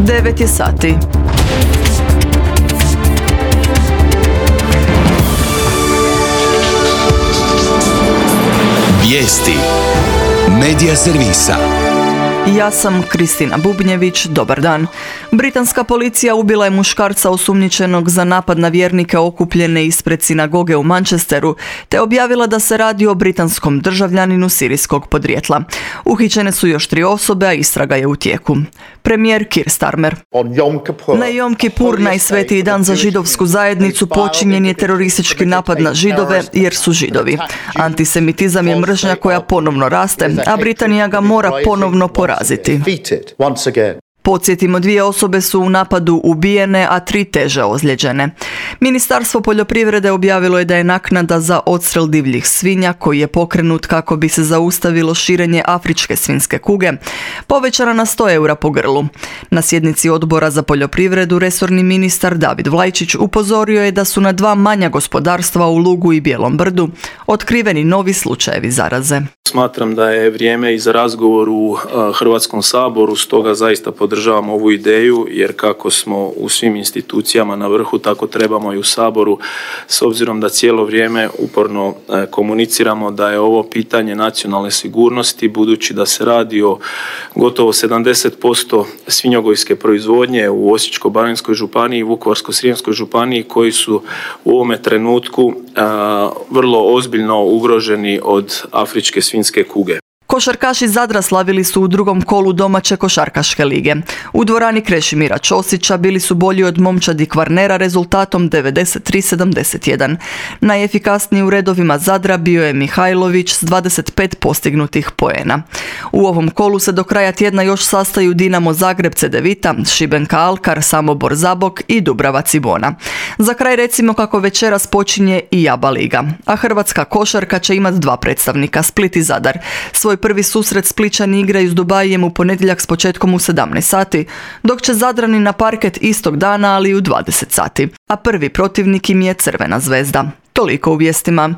9 je sati. Vijesti Medija servisa. Ja sam Kristina Bubnjević, dobar dan. Britanska policija ubila je muškarca osumnjičenog za napad na vjernike okupljene ispred sinagoge u Manchesteru, te objavila da se radi o britanskom državljaninu sirijskog podrijetla. Uhićene su još 3 osobe, a istraga je u tijeku. Premijer Keir Starmer. Na Jom Kipur, najsvetiji dan za židovsku zajednicu, počinjen je teroristički napad na Židove jer su Židovi. Antisemitizam je mržnja koja ponovno raste, a Britanija ga mora ponovno poraziti. Podsjetimo, 2 osobe su u napadu ubijene, a 3 teže ozlijeđene. Ministarstvo poljoprivrede objavilo je da je naknada za odstrel divljih svinja, koji je pokrenut kako bi se zaustavilo širenje afričke svinjske kuge, povećana na 100 eura po grlu. Na sjednici Odbora za poljoprivredu resorni ministar David Vlajčić upozorio je da su na 2 manja gospodarstva u Lugu i Bijelom Brdu otkriveni novi slučajevi zaraze. Smatram da je vrijeme i za razgovor u Hrvatskom saboru, stoga zaista podržavam ovu ideju, jer kako smo u svim institucijama na vrhu, tako trebamo i u Saboru, s obzirom da cijelo vrijeme uporno komuniciramo da je ovo pitanje nacionalne sigurnosti, budući da se radi o gotovo 70% svinjogojske proizvodnje u Osječko-baranjskoj županiji i Vukovarsko-srijemskoj županiji, koji su u ovome trenutku vrlo ozbiljno ugroženi od afričke svinjske kuge. Košarkaši Zadra slavili su u drugom kolu domaće košarkaške lige. U dvorani Krešimira Ćosića bili su bolji od momčadi Kvarnera rezultatom 93-71. Najefikasniji u redovima Zadra bio je Mihajlović s 25 postignutih poena. U ovom kolu se do kraja tjedna još sastaju Dinamo Zagreb Cedevita, Šibenka Alkar, Samobor Zabok i Dubrava Cibona. Za kraj recimo kako večeras počinje i Jaba liga, a hrvatska košarka će imati 2 predstavnika, Split i Zadar. Svoj prvi susret Splićani igraju s Dubajijem u ponedjeljak s početkom u 17 sati, dok će Zadrani na parket istog dana, ali u 20 sati. A prvi protivnik im je Crvena zvezda. Toliko u vijestima.